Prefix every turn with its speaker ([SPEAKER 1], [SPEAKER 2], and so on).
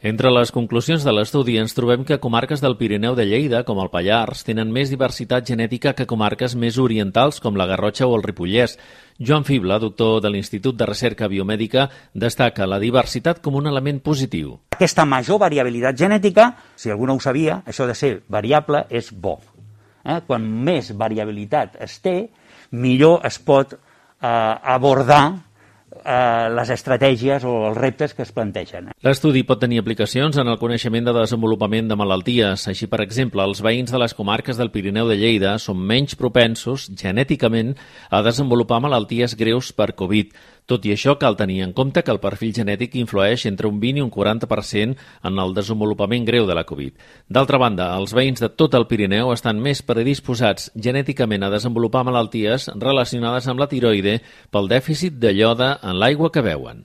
[SPEAKER 1] Entre les conclusions de l'estudi ens trobem que comarques del Pirineu de Lleida, com el Pallars, tenen més diversitat genètica que comarques més orientals com la Garrotxa o el Ripollès. Joan Fibla, doctor de l'Institut de Recerca Biomèdica, destaca la diversitat com un element positiu.
[SPEAKER 2] Aquesta major variabilitat genètica, si algú no ho sabia, això de ser variable és bo. Quan més variabilitat es té, millor es pot abordar les estratègies o els reptes que es plantegen.
[SPEAKER 1] L'estudi pot tenir aplicacions en el coneixement de desenvolupament de malalties. Així, per exemple, els veïns de les comarques del Pirineu de Lleida són menys propensos, genèticament, a desenvolupar malalties greus per Covid. Tot i això, cal tenir en compte que el perfil genètic influeix entre un 20 i un 40% en el desenvolupament greu de la Covid. D'altra banda, els veïns de tot el Pirineu estan més predisposats genèticament a desenvolupar malalties relacionades amb la tiroide pel dèficit de iode en l'aigua que beuen.